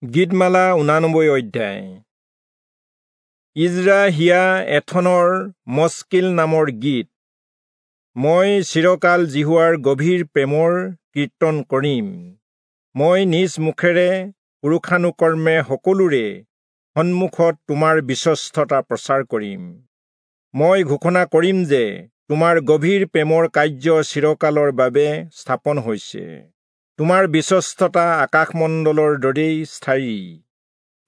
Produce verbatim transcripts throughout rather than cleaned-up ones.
গীতমালা ঊনানব্বৈ অধ্যায়। ইজ্ৰাহিয়া এথনৰ মস্কিল নামৰ গীত। মই চিৰকাল যিহোৱাৰ গভীৰ প্ৰেমৰ কীৰ্তন কৰিম। মই নিজ মুখেৰে পুৰুষানুকৰ্মে সকলোৰে সন্মুখত তোমাৰ বিশ্বস্ততা প্ৰচাৰ কৰিম। মই ঘোষণা কৰিম যে তোমাৰ গভীৰ প্ৰেমৰ কাৰ্য চিৰকালৰ বাবে স্থাপন হৈছে। তোমাৰ বিশ্বস্ততা আকাশমণ্ডলৰ দৰেই স্থায়ী।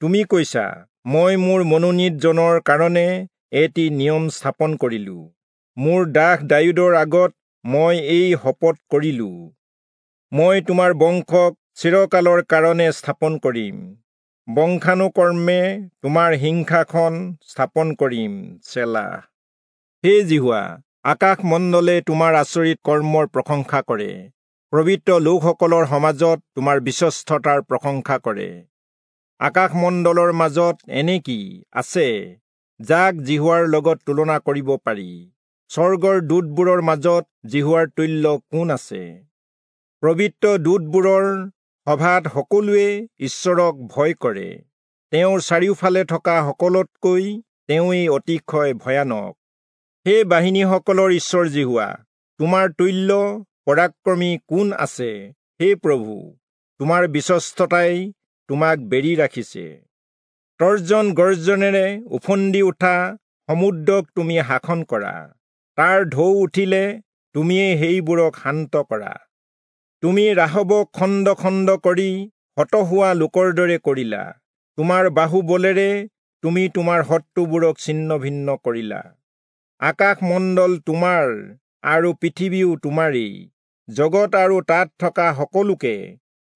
তুমি কৈছা, মই মোৰ মনোনীতজনৰ কাৰণে এটি নিয়ম স্থাপন কৰিলো, মোৰ দাস দায়ূদৰ আগত মই এই শপত কৰিলো, মই তোমাৰ বংশক চিৰকালৰ কাৰণে স্থাপন কৰিম, বংশানুকৰ্মে তোমাৰ সিংহাসন স্থাপন কৰিম। চেলা। হে যিহোৱা, আকাশমণ্ডলে তোমাৰ আচৰিত কৰ্মৰ প্ৰশংসা কৰে, পবিত্ৰ লোকসকলৰ সমাজত তোমাৰ বিশ্বস্ততাৰ প্ৰশংসা কৰে। আকাশমণ্ডলৰ মাজত এনে কি আছে যাক যিহোৱাৰ লগত তুলনা কৰিব পাৰি? স্বৰ্গৰ দূতবোৰৰ মাজত যিহোৱাৰ তুল্য কোন আছে? পবিত্ৰ দূতবোৰৰ সভাত সকলোৱে ঈশ্বৰক ভয় কৰে। তেওঁৰ চাৰিওফালে থকা সকলোতকৈ তেওঁৱেই অতিশয় ভয়ানক। হে বাহিনীসকলৰ ঈশ্বৰ যিহোৱা, তোমাৰ তুল্য পৰাক্ৰমী কোন আছে? হে প্ৰভু, তোমাৰ বিশ্বস্ততাই তোমাক বেৰি ৰাখিছে। তৰ্জন গৰ্জনেৰে ওফন্দি উঠা সমুদ্ৰক তুমি শাসন কৰা, তাৰ ঢৌ উঠিলে তুমিয়েই সেইবোৰক শান্ত কৰা। তুমি ৰাহবক খণ্ড খণ্ড কৰি হত হোৱা লোকৰ দৰে কৰিলা। তোমাৰ বাহুবলেৰে তুমি তোমাৰ শত্ৰুবোৰক ছিন্ন ভিন্ন কৰিলা। আকাশমণ্ডল তোমাৰ আৰু পৃথিৱীও তোমাৰেই, জগত আৰু তাত থকা সকলোকে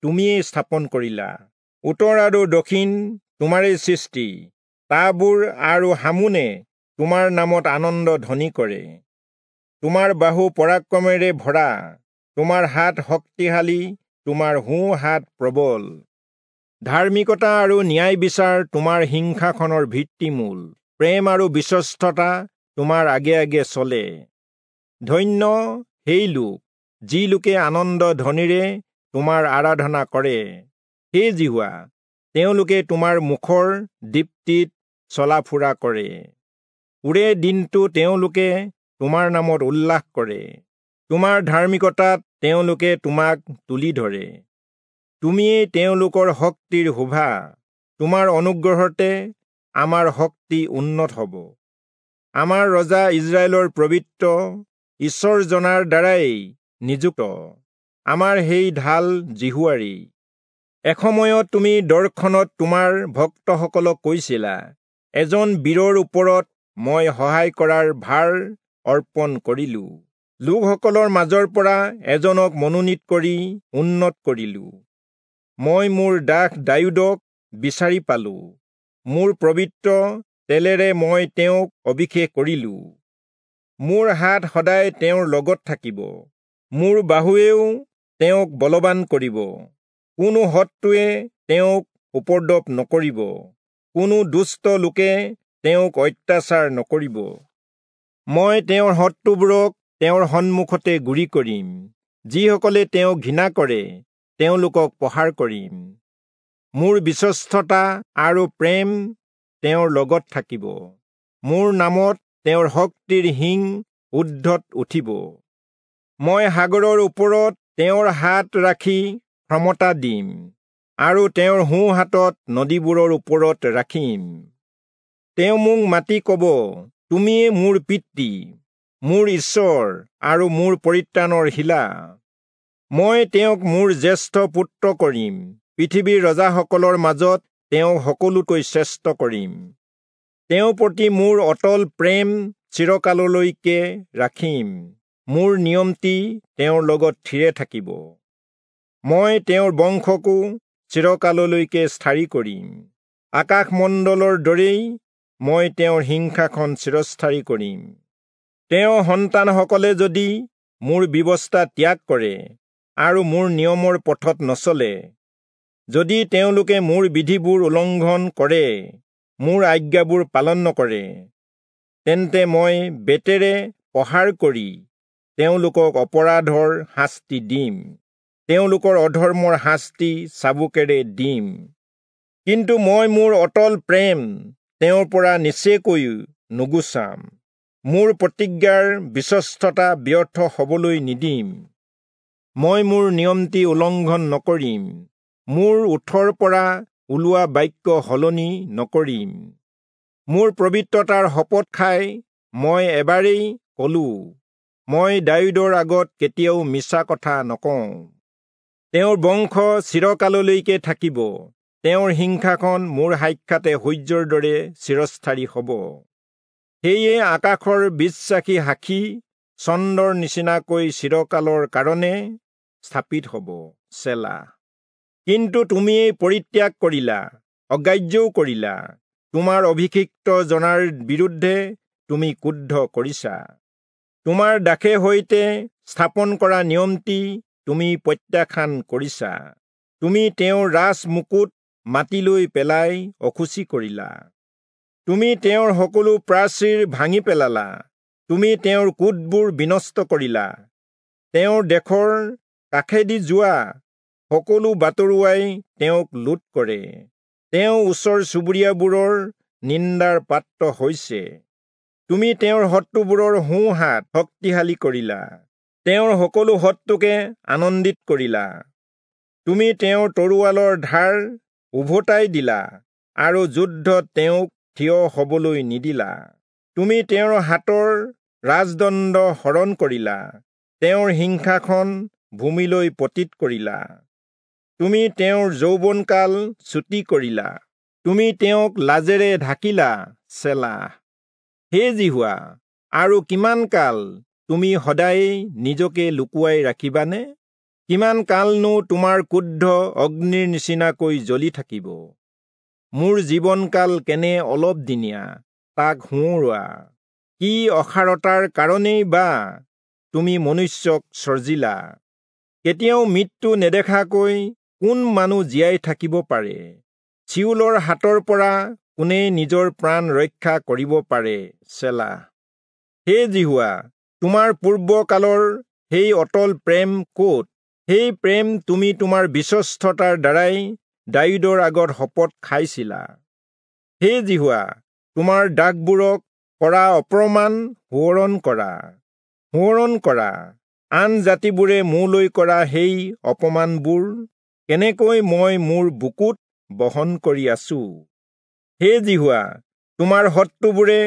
তুমিয়েই স্থাপন কৰিলা। উত্তৰ আৰু দক্ষিণ তোমাৰেই সৃষ্টি, তাবোৰ আৰু হামোনে তোমাৰ নামত আনন্দ ধ্বনি কৰে। তোমাৰ বাহু পৰাক্ৰমেৰে ভৰা, তোমাৰ হাত শক্তিশালী, তোমাৰ সোঁ হাত প্ৰবল। ধাৰ্মিকতা আৰু ন্যায় বিচাৰ তোমাৰ সিংহাসনৰ ভিত্তিমূল, প্ৰেম আৰু বিশ্বস্ততা তোমাৰ আগে আগে চলে। ধন্য সেই লোক, যি লোকে আনন্দ ধ্বনিৰে তোমাৰ আৰাধনা কৰে। হে যিহোৱা, তেওঁলোকে তোমাৰ মুখৰ দীপ্তিত চলা ফুৰা কৰে। ওৰে দিনটো তেওঁলোকে তোমাৰ নামত উল্লাস কৰে, তোমাৰ ধাৰ্মিকতাত তেওঁলোকে তোমাক তুলি ধৰে। তুমিয়েই তেওঁলোকৰ শক্তিৰ শোভা, তোমাৰ অনুগ্ৰহতে আমাৰ শক্তি উন্নত হ'ব। আমাৰ ৰজা ইজৰাইলৰ পবিত্ৰ ঈশ্বৰজনাৰ দ্বাৰাই নিযুক্ত, আমাৰ সেই ঢাল যিহোৱাৰেই। এসময়ত তুমি দৰ্শনত তোমাৰ ভক্তসকলক কৈছিলা, এজন বীৰৰ ওপৰত মই সহায় কৰাৰ ভাৰ অৰ্পণ কৰিলো, লোকসকলৰ মাজৰ পৰা এজনক মনোনীত কৰি উন্নত কৰিলো। মই মোৰ দাস দায়ূদক বিচাৰি পালো, মোৰ পবিত্ৰ তেলেৰে মই তেওঁক অভিষেক কৰিলো। মোৰ হাত সদায় তেওঁৰ লগত থাকিব, মোৰ বাহুৱেও তেওঁক বলৱান কৰিব। কোনো শত্ৰুৱে তেওঁক উপদ্ৰৱ নকৰিব, কোনো দুষ্ট লোকে তেওঁক অত্যাচাৰ নকৰিব। মই তেওঁৰ শত্ৰুবোৰক তেওঁৰ সন্মুখতে গুৰি কৰিম, যিসকলে তেওঁক ঘৃণা কৰে তেওঁলোকক প্ৰহাৰ কৰিম। মোৰ বিশ্বস্ততা আৰু প্ৰেম তেওঁৰ লগত থাকিব, মোৰ নামত তেওঁৰ শক্তিৰ শিং ঊৰ্ধত উঠিব। মই সাগৰৰ ওপৰত তেওঁৰ হাত ৰাখি ক্ষমতা দিম, আৰু তেওঁৰ সোঁ হাতত নদীবোৰৰ ওপৰত ৰাখিম। তেওঁ মোক মাতি কব, তুমিয়ে মোৰ পিতৃ, মোৰ ঈশ্বৰ আৰু মোৰ পৰিত্ৰাণৰ শিলা। মই তেওঁক মোৰ জ্যেষ্ঠ পুত্ৰ কৰিম, পৃথিৱীৰ ৰজাসকলৰ মাজত তেওঁক সকলোতকৈ শ্ৰেষ্ঠ কৰিম। তেওঁৰ প্ৰতি মোৰ অটল প্ৰেম চিৰকাললৈকে ৰাখিম, মোৰ নিয়মটি তেওঁৰ লগত থিৰে থাকিব। মই তেওঁৰ বংশকো চিৰকাললৈকে স্থায়ী কৰিম, আকাশমণ্ডলৰ দৰেই মই তেওঁৰ সিংহাসন চিৰস্থায়ী কৰিম। তেওঁৰ সন্তানসকলে যদি মোৰ ব্যৱস্থা ত্যাগ কৰে আৰু মোৰ নিয়মৰ পথত নচলে, যদি তেওঁলোকে মোৰ বিধিবোৰ উলংঘন কৰে, মোৰ আজ্ঞাবোৰ পালন নকৰে, তেন্তে মই বেতেৰে প্ৰহাৰ কৰি তেওঁলোকক অপৰাধৰ শাস্তি দিম, তেওঁলোকৰ অধৰ্মৰ শাস্তি চাবুকেৰে দিম। কিন্তু মই মোৰ অটল প্ৰেম তেওঁৰ পৰা নিচেকৈ নুগুচাম, মোৰ প্ৰতিজ্ঞাৰ বিশ্বস্ততা ব্যৰ্থ হবলৈ নিদিম। মই মোৰ নিয়মটি উলংঘন নকৰিম, মোৰ ওঠৰ পৰা ওলোৱা বাক্য সলনি নকৰিম। মোৰ পবিত্ৰতাৰ শপত খাই মই এবাৰেই কলো, মই দায়ূদৰ আগত কেতিয়াও মিছা কথা নকওঁ। তেওঁৰ বংশ চিৰকাললৈকে থাকিব, তেওঁৰ সিংহাসন মোৰ সাক্ষাতে সূৰ্যৰ দৰে চিৰস্থায়ী হ'ব। সেয়ে আকাশৰ বিশ্বাসী সাক্ষী চন্দ্ৰৰ নিচিনাকৈ চিৰকালৰ কাৰণে স্থাপিত হ'ব। চেলা। কিন্তু তুমিয়েই পৰিত্যাগ কৰিলা, অগ্ৰাহ্যও কৰিলা, তোমাৰ অভিষিক্ত জনাৰ বিৰুদ্ধে তুমি ক্ৰুদ্ধ কৰিছা। তোমাৰ দাসে সৈতে স্থাপন কৰা নিয়মটি তুমি প্ৰত্যাখ্যান কৰিছা। তুমি তেওঁৰ ৰাজ মুকুট মাটিলৈ পেলাই অশুচি কৰিলা। তুমি তেওঁৰ সকলো প্ৰাচীৰ ভাঙি পেলালা, তুমি তেওঁৰ কোটবোৰ বিনষ্ট কৰিলা। তেওঁৰ দেশৰ কাষেদি যোৱা সকলো বাটৰুৱাই তেওঁক লুট কৰে। তেওঁ ওচৰ চুবুৰীয়াবোৰৰ নিন্দাৰ পাত্ৰ হৈছে। তুমি তেওঁৰ শত্ৰুবোৰৰ সোঁহাত শক্তিশালী কৰিলা, তেওঁৰ সকলো শত্ৰুকে আনন্দিত কৰিলা। তুমি তেওঁৰ তৰোৱালৰ ধাৰ উভতাই দিলা আৰু যুদ্ধত তেওঁক থিয় হবলৈ নিদিলা। তুমি তেওঁৰ হাতৰ ৰাজদণ্ড হৰণ কৰিলা, তেওঁৰ সিংহাসন ভূমিলৈ পতিত কৰিলা। তুমি তেওঁৰ যৌৱনকাল চুটি কৰিলা, তুমি তেওঁক লাজেৰে ঢাকিলা। চেলা। হে যিহোৱা, আৰু কিমান কাল তুমি সদায়েই নিজকে লুকুৱাই ৰাখিবানে? কিমান কালনো তোমাৰ ক্ৰুদ্ধ অগ্নিৰ নিচিনাকৈ জ্বলি থাকিব? মোৰ জীৱনকাল কেনে অলপ দিনীয়া, তাক সোঁৱৰোৱা। কি অসাৰতাৰ কাৰণেই বা তুমি মনুষ্যক সৰ্জিলা? কেতিয়াও মৃত্যু নেদেখাকৈ কোন মানুহ জীয়াই থাকিব পাৰে? চিউলৰ হাতৰ পৰা কোনে নিজৰ প্ৰাণ ৰক্ষা কৰিব পাৰে? চেলা। হে যিহোৱা, তোমাৰ পূৰ্বকালৰ সেই অটল প্ৰেম ক'ত? সেই প্ৰেম তুমি তোমাৰ বিশ্বস্ততাৰ দ্বাৰাই দায়ূদৰ আগত শপত খাইছিলা। হে যিহোৱা, তোমাৰ দাসবোৰক কৰা অপমান সোঁৱৰণ কৰা, সোঁৱৰণ কৰা। আন জাতিবোৰে মোলৈ কৰা সেই অপমানবোৰ কেনেকৈ মই মোৰ বুকুত বহন কৰি আছো। হে যিহোৱা, তোমাৰ শত্ৰুবোৰে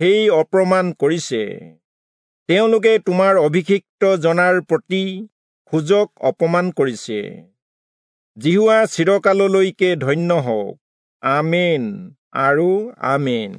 সেই অপমান কৰিছে। তেওঁলোকে তোমাৰ অভিষিক্ত জনাৰ প্ৰতি খোজক অপমান কৰিছে। যিহোৱা চিৰকাললৈকে ধন্য হওক। আমেন আৰু আমেন।